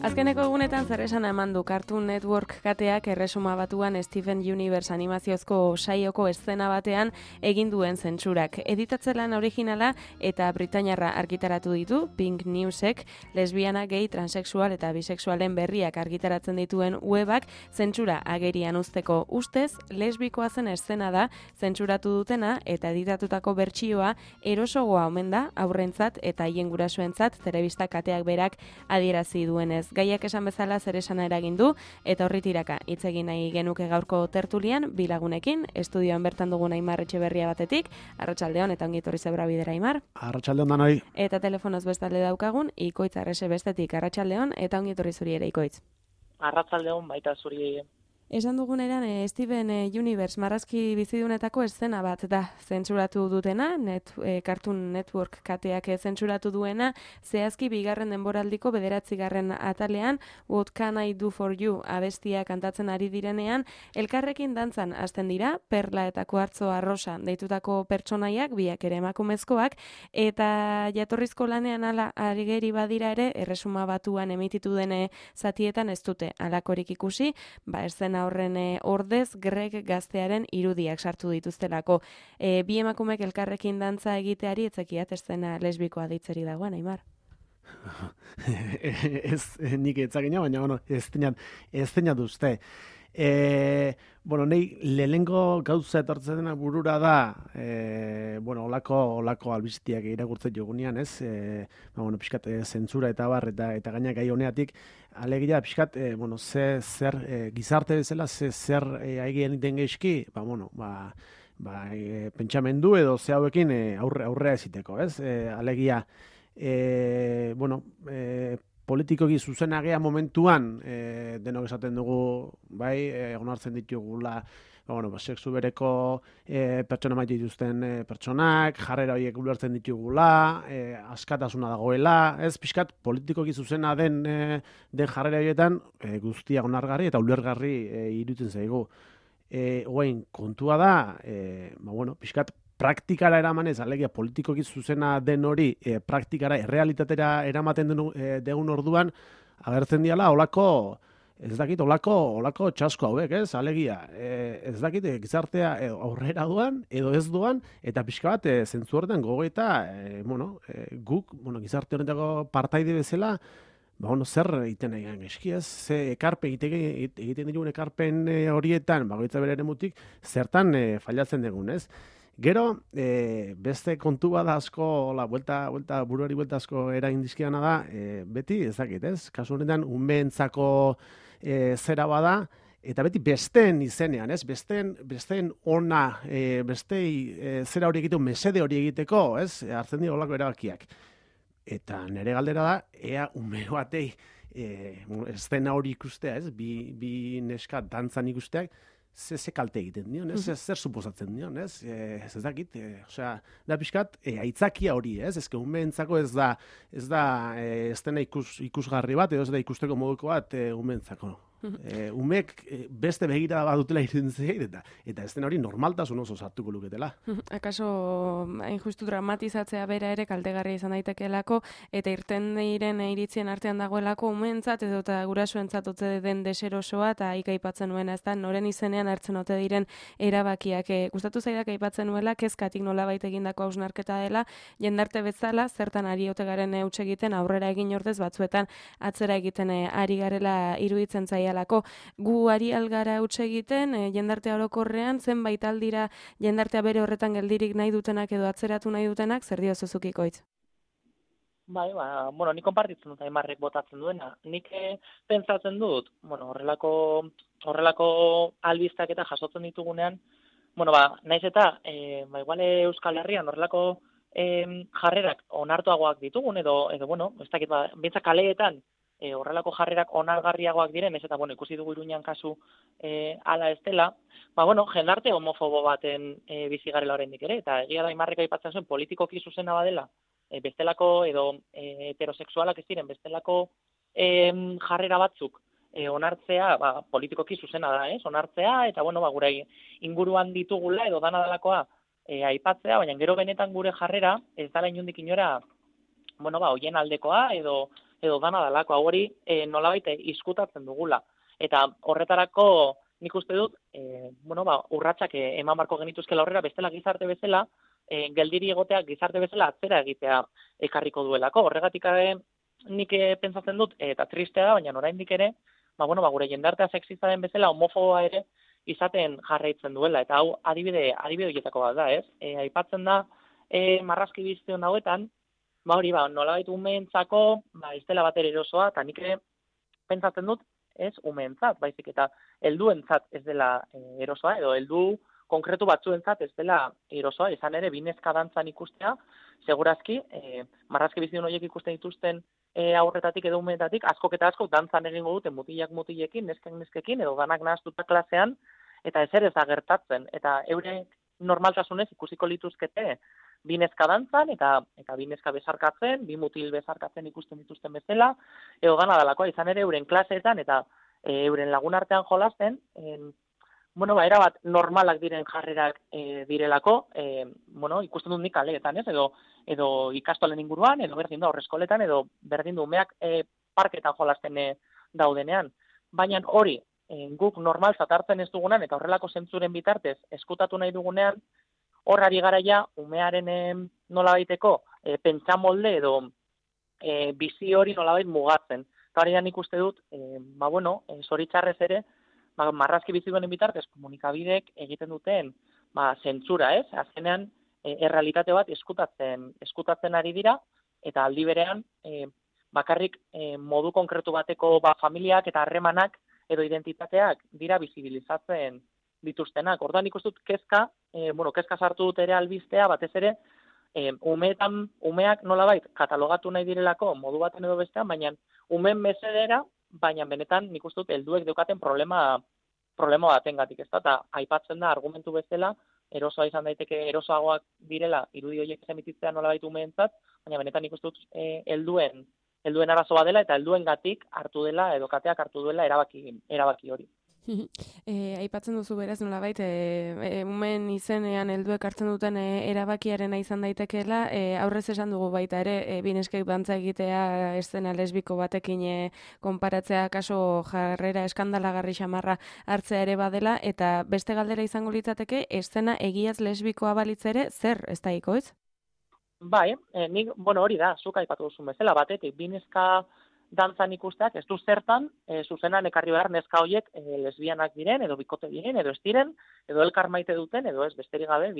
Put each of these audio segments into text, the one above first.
Azkeneko egunetan zer esana eman du Cartoon Network kateak erresuma batuan Steven Universe animaziozko saioko eszena batean egin duen zentsurak. Editatzelan originala eta britainiarra argitaratu ditu Pink Newsek, lesbiana, gay, transexual eta bisexualen berriak argitaratzen dituen webak zentsura agerian uzteko ustez, lesbikoa zen eszena da zentsuratu dutena eta editatutako bertsioa erosogoa omen da aurrentzat eta haien gurasoentzat telebista kateak berak adierazi duenez. Gaiak esan bezala zer esana eragin du eta horri tiraka hitz egin nahi genuke gaurko tertulian bi lagunekin, estudioan bertan dugun Aimar Etxeberria batetik, arratsaldeon eta ongi etorri zebra bidera Aimar. Arratsaldeon danoi. Eta telefonoz bestalde daukagun Ikoitz Arrese bestetik, arratsaldeon eta ongi etorri zuri ere Ikoitz. Arratsaldeon baita zuri. Esan duguneran, Steven Universe marrazki bizidunetako eszena bat da zentsuratu dutena, Cartoon Network kateak zentsuratu duena, zehazki bigarren denboraldiko 9. atalean, What Can I Do For You abestia kantatzen ari direnean, elkarrekin dantzan hasten dira, Perla eta Kuartzo Arrosa deitutako pertsonaiak, biak ere emakumezkoak, eta jatorrizko lanean ala arigeri badira ere, erresuma batuan emititu dene zatietan ez dute alakorik ikusi, eszena horren ordez Greg gaztearen irudiak sartu dituztelako. Bi emakumek elkarrekin dantza egiteari etzekiat eszena lesbikoa deitzeri dagoen, Aimar. Ez nik etzakina, baina bueno, ez tenat uste. Nei lehenengo gauza etortzen dena burura da, olako albisteak irakurtzen jogunean, ez? Pixkat zentzura eta bar, eta gainak gai honeatik, alegia pixkat, zer gizarte bezala, zer aigeen den geizki, pentsamendu edo ze hauekin aurrea eziteko, ez? Alegia, politikoki zuzenagea momentuan, denok esaten dugu, onartzen ditugula, sexu bereko pertsona maite dituzten pertsonak, jarrera horiek ulertzen ditugula, askatasuna dagoela, ez pixkat politikoki zuzena den jarrera horietan guztia onargarri eta ulergarri iruditzen zaigu. Oain, kontua da, pixkat praktikara eramanez, alegia politikoki zuzena den hori, praktikara, errealitatera eramaten degun orduan, agertzen diala, olako txasko hauek, ez? Alegia, ez dakit, gizartea aurrera duan, edo ez duan, eta pixka bat, zentzu horretan gogoeta, guk, gizarte horretako partaide bezala, zer egiten nahi eski, ez? Egiten digun ekarpen horietan, bagoitza bere eremutik, zertan fallatzen dugun, ez? Gero, beste kontu bat asko, buruari buelta asko eragin dizkiana da, beti, ez dakit, ez? Kasu honetan, umeentzako zera bada, eta beti besteen izenean, ez? Besteen ona, bestei zera hori egiteko, mesede hori egiteko, ez? Hartzen dira olako erabakiak. Eta nire galdera da, ea ume batei eszena hori ikustea, ez? Bi neska dantzan ikusteak, ze kalte egiten dion, ez? Zer suposatzen dion, ez? Ez dakit, da pixkat, aitzakia hori, ez? Ez umeentzako ez da eszena ikusgarri bat, edo ez da ikusteko moduko bat umeentzako. Umek beste begira badutela iruditzen eta ez den hori normaltasun oso sartuko luketela. Akaso hain justu dramatizatzea bera ere kaltegarria izan daitekeelako eta irten diren iritzien artean dagoelako umeentzat edo eta gurasoentzat ote den deserosoa eta aipatzen nuena, ez da, noren izenean hartzen ote diren erabakiak. Gustatu zaidak aipatzen nuela, kezkatik nolabait egindako hausnarketa dela, jendarte bezala, zertan ari ote garen huts egiten aurrera egin ordez batzuetan atzera egiten ari garela iruditzen zaia. Gu ari algara huts egiten, jendartea orokorrean, zenbait aldira jendartea bere horretan geldirik nahi dutenak edo atzeratu nahi dutenak, zer dio zuzukiko hitz? Nik konpartitzen dut Aimarrek botatzen duena. Nik pentsatzen dut, horrelako albistak eta jasotzen ditugunean, naiz eta, igual Euskal Herrian horrelako jarrerak onartuagoak ditugun, edo ez dakit, bintzak kaleetan, horrelako jarrerak onargarriagoak diren, ez eta ikusi dugu Iruñan kasu ala ez dela, jendarte homofobo baten bizi garela oraindik ere, eta egia da Aimarrek aipatzen zuen politikoki zuzena badela, bestelako edo heterosexualak ez diren, bestelako jarrera batzuk onartzea, politikoki zuzena da, ez? Onartzea, eta gure inguruan ditugula edo dana delakoa aipatzea, baina gero benetan gure jarrera ez dela inondik inora, hoien aldekoa edo edo dana dalako, hau hori nolabait izkutatzen dugula. Eta horretarako nik uste dut, urratsak eman barko genituzkela aurrera, bestela gizarte bezala, geldiri egoteak gizarte bezala atzera egitea ekarriko duelako. Horregatik nik pentsatzen dut, eta tristea da, baina oraindik ere, gure jendartea sexista den bezala homofoboa ere izaten jarraitzen duela, eta hau adibide horietako bat da, ez? Aipatzen da marrazki biztion hauetan, nolabait umeentzako, ez dela bat erosoa, eta nik ere pentsatzen dut, ez umeentzat, baizik eta helduentzat ez dela erosoa, edo heldu konkretu batzuentzat ez dela erosoa, izan ere binezka dantzan ikustea, segurazki, marrazki bizidun horiek ikusten dituzten aurretatik edo umeetatik, askok eta askok dantzan egingo duten mutilak mutilekin, neskek neskekin, edo danak nahaztuta klasean, eta ezer ez da gertatzen, eta eurek normaltasunez ikusiko lituzkete binezka dantzan, eta binezka bezarkatzen, bi mutil bezarkatzen ikusten dituzten bezala, edo dana dalakoa, izan ere euren klaseetan, eta euren lagun artean jolasten, erabat normalak diren jarrerak direlako, ikusten dut nik kaleetan, ez? Edo ikastolen inguruan, edo berdin da horreskoletan, edo berdin du umeak parketan jolasten daudenean. Baina hori, guk normalzat hartzen ez dugunean, eta horrelako zentzuren bitartez eskutatu nahi dugunean, horrari garaia umearen nolabaiteko pentsamolde edo bizi hori nolabait mugatzen. Eta hori da nik uste dut, zoritxarrez ere, marrazki biziduen bitartez komunikabidek egiten duten zentzura, ez? Azkenean, errealitate bat eskutatzen ari dira, eta aldi berean, bakarrik modu konkretu bateko familiak eta harremanak edo identitateak dira bizibilizatzen dituztenak. Orduan ikusten dut kezka sartu dut ere albistea, batez ere, umeak nolabait katalogatu nahi direlako modu baten edo bestean, baina umeen mesedera, baina benetan nik uste dut helduek daukaten problema batengatik, ez da, eta aipatzen da argumentu bezala, erosoa izan daiteke erosoagoak direla irudi horiek emititzea nolabait umeentzat, baina benetan nik uste dut helduen arazoa dela eta helduengatik hartu dela edo kateak hartu duela erabaki hori. Aipatzen duzu beraz nolabait umeen izenean helduek hartzen duten erabakiarena izan daitekeela, aurrez esan dugu baita ere bineskek dantza egitea eszena lesbiko batekin konparatzea kaso jarrera eskandalagarri xamarra hartzea ere badela, eta beste galdera izango litzateke eszena egiaz lesbikoa balitz ere zer ez daiko, ez? Bai, nik, hori da, zuk aipatu duzun bezala, batetik binezka dantzan ikusteak, ez du zertan, zuzenan ekarri behar neska horiek lesbianak diren, edo bikote diren, edo ez diren, edo elkar maite duten, edo ez besterik gabe,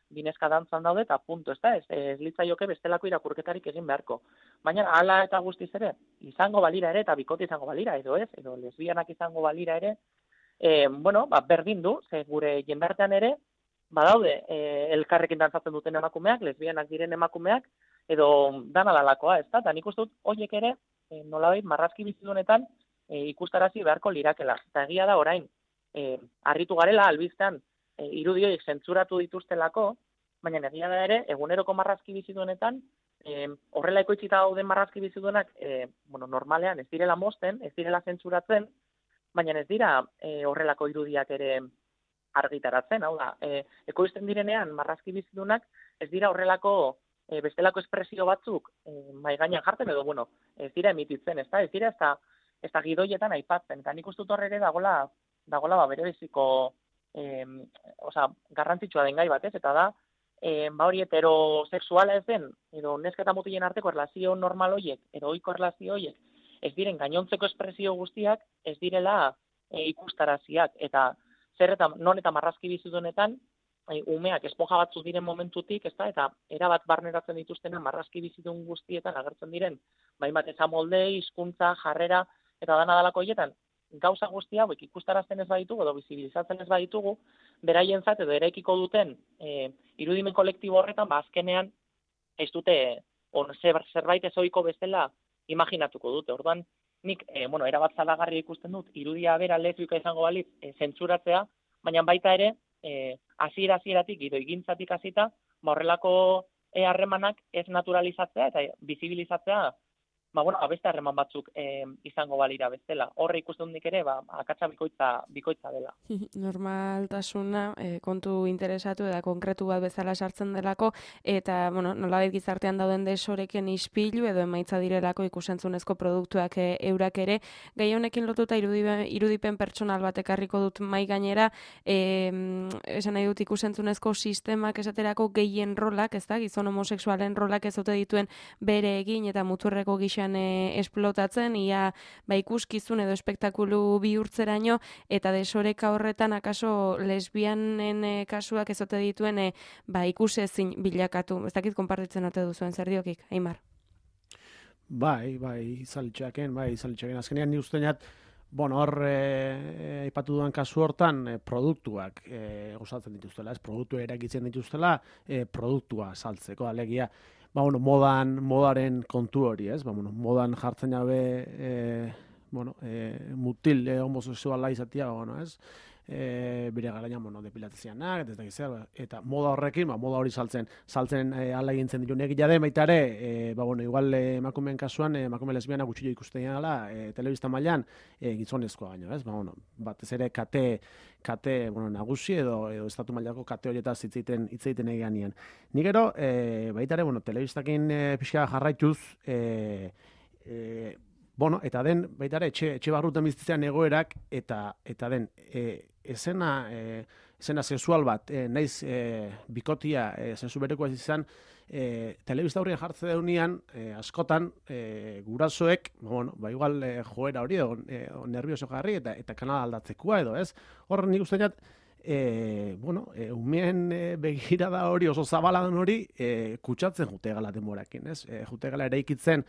binezka dantzan daude, eta punto, ez litzaioke bestelako irakurketarik egin beharko. Baina, hala eta guztiz ere, izango balira ere, eta bikote izango balira, edo ez, edo lesbianak izango balira ere, berdin du, ze gure jendartean ere, badaude elkarrekin dantzatzen duten emakumeak, lesbianak diren emakumeak, edo dana dalakoa, ez da, eta nik uste dut, horiek ere, nolabait marrazki bizidunetan ikustarazi beharko lirakela. Eta egia da orain, harritu garela albiztean irudi horiek zentzuratu dituztelako, baina egia da ere, eguneroko marrazki bizidunetan, horrela ekoitzita dauden marrazki biziduenak, normalean ez direla mozten, ez direla zentzuratzen, baina ez dira horrelako irudiak ere argitaratzen, hau da, ekoizten direnean marrazki bizidunak ez dira horrelako bestelako espresio batzuk mahai gainean jartzen edo, ez dira emititzen, ez dira ez da gidoietan aipatzen, eta nik uste dut horre ere dagoela bere beziko garrantzitsua den gai bat, ez, eta da, hori heterosexuala ez den, edo neska eta mutilen arteko erlazio normal horiek, edo ohiko erlazio horiek, ez diren gainontzeko espresio guztiak, ez direla ikustaraziak, eta zer eta non eta marrazki bizidunetan, umeak esponja batzu diren momentutik, eta erabat barneratzen dituztenen marrazki bizidun guztietan agertzen diren, bat ezamolde, hizkuntza, jarrera, eta dana dalako horietan, gauza guztia hauek ikustarazten ez baditugu, edo bizibilizatzen ez baditugu, beraientzat edo eraikiko duten irudimen kolektibo horretan, azkenean ez dute, zerbait ezoiko bezala imaginatuko dute. Orduan, nik, erabat zalagarria ikusten dut, irudia bera lesbika izango balitz zentzuratzea, baina baita ere, hasieratik edo egintzatik hasita, horrelako harremanak ez naturalizatzea eta bizibilizatzea bueno, beste harreman batzuk izango balira bestela. Horre ikusten nik ere, akatsa bikoitza dela. Normaltasuna kontu interesatu eta konkretu bat bezala sartzen delako, eta, nolabait gizartean dauden desoreken ispilu edo emaitza direlako ikusentzunezko produktuak eurak ere. Gai honekin lotuta irudipen pertsonal bat ekarriko dut mai gainera, esan nahi dut ikusentzunezko sistemak esaterako gehien rolak, ez da, gizon homosexualen rolak ez dute dituen bere egin eta muturreko gixan esplotatzen, ia ikuskizun edo espektakulu bihurtzeraino, eta desoreka horretan akaso lesbianen kasuak ez dute dituen ikusezin bilakatu. Ez dakit konpartitzen ote duzuen zer diokik, Aimar? Bai, izalitxaken, azkenean ni usteñat, hor aipatu duan kasu hortan produktuak osatzen dituztela, ez produktua erakitzen dituztela, produktua saltzeko, alegia, modaren kontu hori, ez? Modan jartzen jabe, mutil homosexuala izatea, ez? Bire garaia, depilatzeanak, eta moda horrekin, moda hori saltzen ala egintzen ditu. Nek jade baita ere, igual emakumeen kasuan, emakume lesbiana gutxillo ikusten dela, telebista mailan gizonezkoa baino, ez? Batez ere kate nagusi edo estatu mailako kate horietaz hitz egiten egianean. Ni gero, baita ere, telebistakin pixka jarraituz, eta den, baita ere, etxe barrutan bizitzean egoerak, eta den, esena sexual bat, naiz bikotia sexu berekoa izan, telebista horrien jartze deunean, askotan, gurasoek, igual joera hori, nervioso jarri, eta kanal aldatzekoa edo, ez? Horren nik uste jat, umeen begirada hori, oso zabaladan hori, kutsatzen jute gala denborakin, ez? Jute gala ere ikitzen,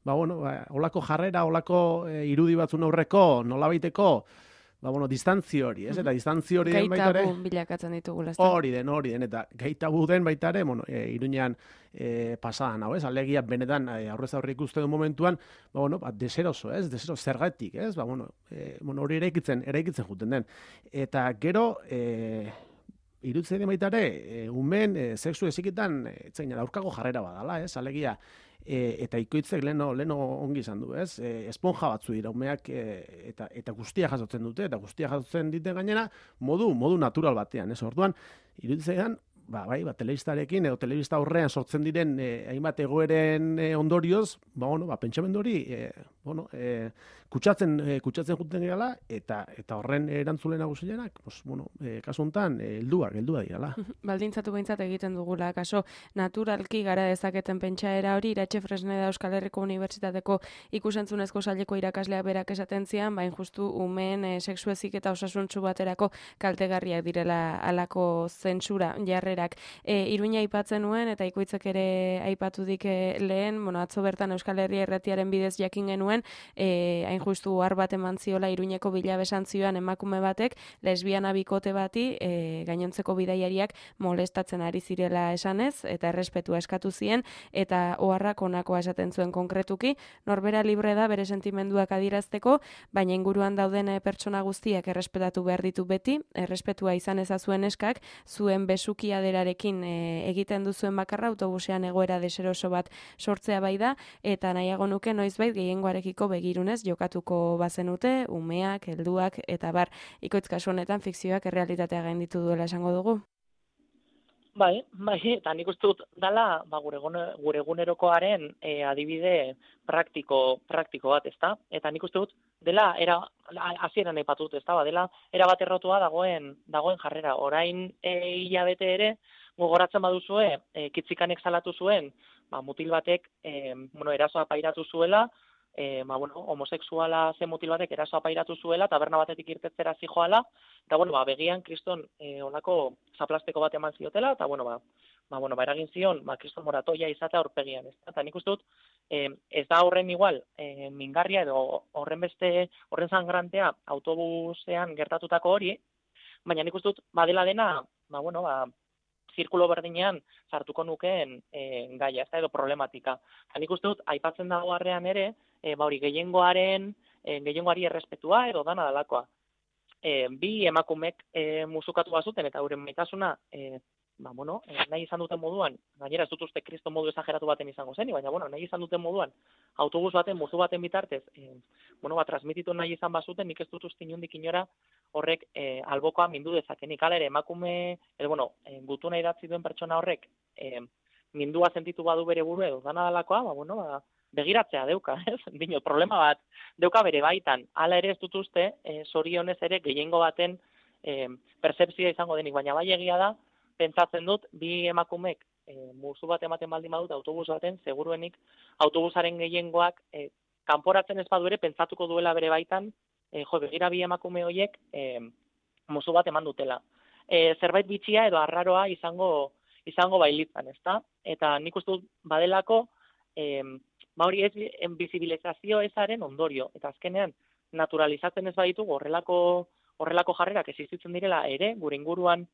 holako jarrera, holako irudi batzun aurreko, nolabaiteko, distantzio hori, ez? Eta distantzio hori den baita ere... Gaitabu bilakatzen ditugula. Hori den, eta gaitabu den baita ere, Iruñean pasadan, hau, ez? Alegia benetan aurrez aurre ikusten duen momentuan, deseroso, ez? Deseroso zergatik, ez? Hori eraikitzen juten den. Eta gero, irutzen den baita ere, umeen sexu ezikitan, aurkako jarrera badala, ez? Alegia, eta ikoitzek leno ongi izan du, ez? Esponja batzu dira umeak eta guztia jasotzen dute, eta guztia jasotzen dite gainera modu natural batean, ez? Orduan, iruditzen telebistarekin edo telebista aurrean sortzen diren hainbat egoeren ondorioz, pentsamendu hori, kutsatzen juten gala, eta horren erantzule nagusilenak, kasu honetan, heldua dirala. Baldintzatu behintzat egiten dugula, kaso naturalki gara dezaketen pentsaera hori, Iratxe Fresneda Euskal Herriko Unibertsitateko ikusentzunezko saileko irakasleak berak esaten zian, justu umeen sexu heziketa osasuntsu baterako kaltegarriak direla halako zentsura jarrerak. Iruña aipatzen nuen, eta ikoitzek ere aipatu dik lehen, atzo bertan Euskal Herria Irratiaren bidez jakin genuen, hain justu ohar bat eman ziola Iruñeko bilabesan zioan emakume batek, lesbiana bikote bati, gainontzeko bidaiariak molestatzen ari zirela esanez, eta errespetua eskatu zien, eta oharrak honakoa esaten zuen konkretuki, norbera libre da bere sentimenduak adierazteko, baina inguruan dauden pertsona guztiak errespetatu behar ditu beti, errespetua izan ezazuen eskak, zuen besukiaderarekin egiten duzuen bakarra autobusean egoera deseroso bat sortzea bai da, eta nahiago nuke noizbait gehiengoarekiko begirunez jokatuko bazenute, umeak, helduak, eta bar, ikoitz kasu honetan fikzioak errealitatea gainditu duela esango dugu. Bai, eta nik uste dut dala gure egunerokoaren adibide praktiko bat, ezta? Eta nik uste dut dela hasieran aipatu dut, ezta? Dela era bat errotua dagoen jarrera. Orain hilabete ere gogoratzen baduzue, kitzikanek salatu zuen, mutil batek erasoa pairatu zuela, homosexuala zen mutil batek erasoa pairatu zuela, taberna batetik irtetzera zijoala, eta begian kriston olako zaplasteko bat eman ziotela, eta eragin zion, kriston moratoia izatea aurpegian, ez da? Eta nik uste dut, ez da horren igual, mingarria edo horren zangrantea autobusean gertatutako hori, baina nik uste dut, badela dena, zirkulo berdinean sartuko nukeen gaia, ez da, edo problematika. Eta nik uste dut, aipatzen dago harrean ere, gehiengoari errespetua edo dana dalakoa. Bi emakumek musukatu bazuten eta euren maitasuna nahi izan duten moduan, gainera ez dut uste kriston modu esageratu baten izango zen, baina nahi izan duten moduan autobus baten, musu baten bitartez, transmititu nahi izan bazuten, nik ez dut uste inondik inora horrek albokoa mindu dezakenik. Hala ere, emakume, gutuna idatzi duen pertsona horrek mindua sentitu badu bere buru edo dana dalakoa, begiratzea deuka, ez? Dino, problema bat deuka bere baitan. Hala ere ez dut uste, zorionez ere gehiengo baten percepzioa izango denik, baina bai egia da, pentsatzen dut, bi emakumek musu bat ematen baldin badut autobus baten, seguruenik autobusaren gehiengoak kanporatzen ez badu ere pentsatuko duela bere baitan, begira bi emakume horiek musu bat eman dutela. Zerbait bitxia edo arraroa izango bailitzan, ezta? Eta nik uste dut badelako, hori ez bizibilizazio ezaren ondorio, eta azkenean naturalizatzen ez baditugu horrelako jarrerak existitzen direla ere, gure inguruan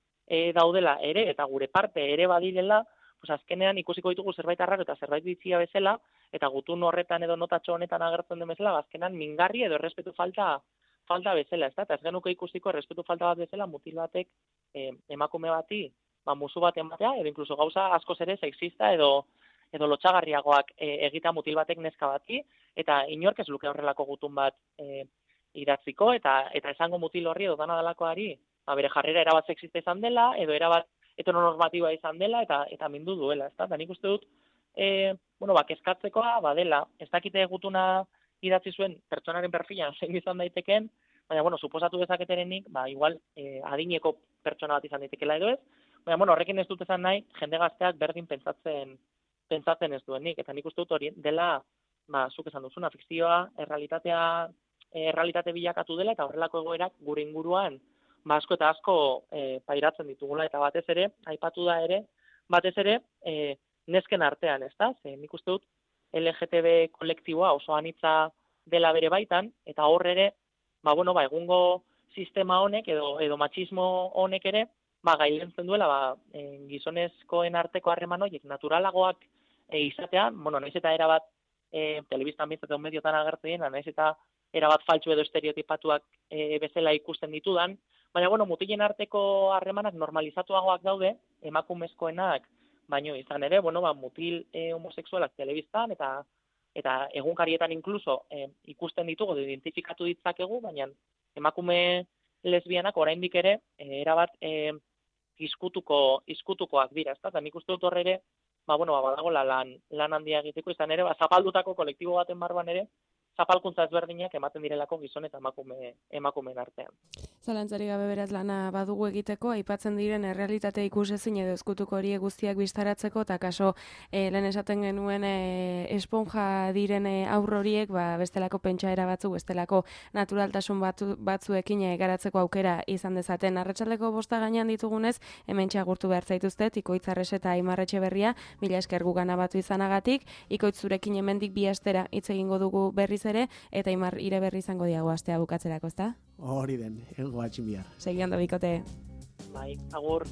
daudela ere, eta gure parte ere badirela, azkenean ikusiko ditugu zerbait arraro eta zerbait bitxia bezala, eta gutun horretan edo notatxo honetan agertzen den bezala, azkenean mingarri edo errespetu falta bezala, ez da? Eta ez genuke ikusiko errespetu falta bat bezala, mutil batek emakume bati, musu bat ematea, edo inkluso gauza askoz ere sexista edo lotxagarriagoak egita mutil batek neska bati, eta inork ez luke horrelako gutun bat idatziko, eta esango mutil horri edo dana dalakoari, bere jarrera erabat sexista izan dela, edo erabat heteronormatiboa izan dela, eta mindu duela, ez da? Eta nik uste dut, kezkatzekoa badela, ez dakite gutuna idatzi zuen pertsonaren perfilan zein izan daiteken, baina, suposatu dezaketerenik, igual adineko pertsona bat izan daitekela edo ez, baina, horrekin ez dut esan nahi, jende gazteak berdin pentsatzen ez duenik, eta nik uste dut hori dela, zuk esan duzuna, fikzioa, errealitate bilakatu dela, eta horrelako egoerak gure inguruan, asko eta asko pairatzen ditugula, eta batez ere, aipatu da ere, nesken artean, ez da? Nik uste dut LGTB kolektiboa oso anitza dela bere baitan, eta hor ere, egungo sistema honek edo matxismo honek ere, gailentzen duela, gizonezkoen arteko harreman horiek naturalagoak izatean, nahiz eta erabat telebistan bintzat edo mediotan agertzen, nahiz eta erabat faltsu edo estereotipatuak bezala ikusten ditudan, baina, mutilen arteko harremanak normalizatuagoak daude, emakumezkoenak, baino izan ere, mutil homosexualak telebistan, eta egunkarietan inkluso ikusten ditugu, identifikatu ditzakegu, baina emakume lesbianak oraindik ere, erabat izkutukoak dira, ezta? Eta nik uste dut horre ere, badagoela lan handia egiteko, izan ere, zapaldutako kolektibo baten barruan ere, zapalkuntza ezberdinak ematen direlako gizon eta emakumeen artean. Zalantzari gabe beraz lana badugu egiteko, aipatzen diren errealitate ikusezin edo ezkutuko horiek guztiak biztaratzeko, eta kaso lehen esaten genuen esponja diren aurro horiek, bestelako pentsaera batzuk, bestelako naturaltasun batzuekin garatzeko aukera izan dezaten. Arratsaldeko 5 gainean ditugunez, hementxe agurtu behar zaituztet, Ikoitz Arrese eta Aimar Etxeberria, mila esker gugana batu izanagatik, Ikoitz zurekin hemendik 2 astera hitz egingo dugu berriz ere, eta Aimar ire berri izango diago astea bukatzerako, ezta? Hori den, goatxin bihar. Segi ondo bikote. Bai, agur.